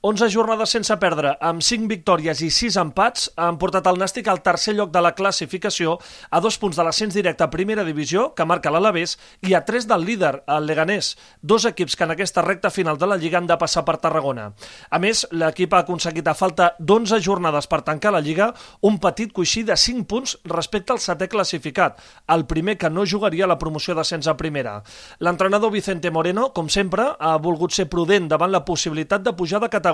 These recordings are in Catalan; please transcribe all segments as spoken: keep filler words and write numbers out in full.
onze jornades sense perdre, amb cinc victòries i sis empats, han portat el Nàstic al tercer lloc de la classificació, a dos punts de l'ascens directe a primera divisió, que marca l'Alavés, i a tres del líder, el Leganés, dos equips que en aquesta recta final de la Lliga han de passar per Tarragona. A més, l'equip ha aconseguit a falta d'onze jornades per tancar la Lliga un petit coixí de cinc punts respecte al setè classificat, el primer que no jugaria a la promoció d'ascens a primera. L'entrenador Vicente Moreno, com sempre, ha volgut ser prudent davant la possibilitat de pujar de categoria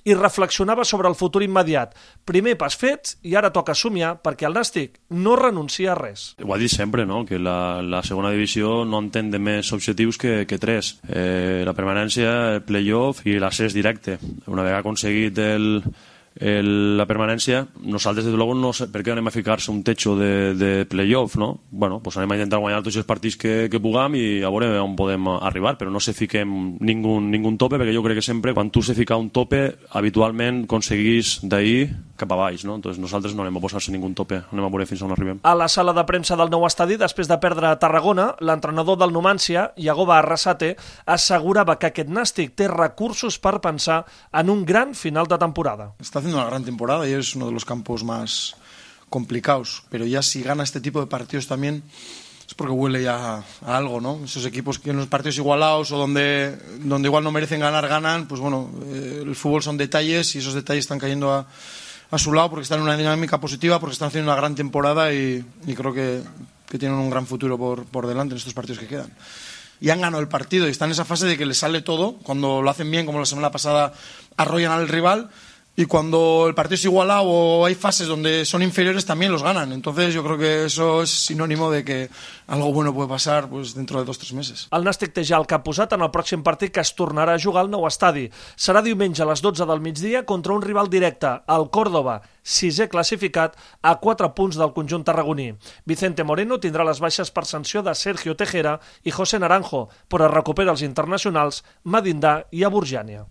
i reflexionava sobre el futur immediat. Primer pas fet i ara toca somiar perquè el Nàstic no renuncia a res. Ho ha dit sempre, no? Que la, la segona divisió no entén de més objectius que, que tres. Eh, la permanència, el play-off i l'accés directe. Una vegada aconseguit el... El, la permanència, nosaltres desde luego no sé per què anem a ficar-se un techo de, de playoff, no? Bueno, pues anem a intentar guanyar tots els partits que, que puguem i a veure on podem arribar, però no se fiquem ningú, ningú tope, perquè jo crec que sempre quan tu se fica un tope, habitualment aconseguís d'ahir cap a baix, no? Entonces nosaltres no anem a posar-se ningú tope, anem a veure fins on arribem. A la sala de premsa del nou estadi, després de perdre a Tarragona, l'entrenador del Numancia, Yagoba Arrasate, assegurava que aquest Nàstic té recursos per pensar en un gran final de temporada. Està haciendo una gran temporada y es uno de los campos más complicados, pero ya si gana este tipo de partidos también es porque huele ya a algo, ¿no? Esos equipos que en los partidos igualados o donde, donde igual no merecen ganar, ganan, pues bueno, eh, el fútbol son detalles y esos detalles están cayendo a, a su lado porque están en una dinámica positiva, porque están haciendo una gran temporada y, y creo que, que tienen un gran futuro por, por delante en estos partidos que quedan. Y han ganado el partido y están en esa fase de que les sale todo, cuando lo hacen bien, como la semana pasada arrollan al rival. Y cuando el partido es igualado o hay fases donde son inferiores también los ganan. Entonces yo creo que eso es sinónimo de que algo bueno puede pasar pues, dentro de dos o tres meses. El Nàstic té ja el cap posat en el pròxim partit que es tornarà a jugar al nou estadi. Serà diumenge a les dotze del migdia contra un rival directe, el Córdoba, sisè classificat a quatre punts del conjunt tarragoní. Vicente Moreno tindrà les baixes per sanció de Sergio Tejera i José Naranjo, però recupera els internacionals Madindà i Aburjània.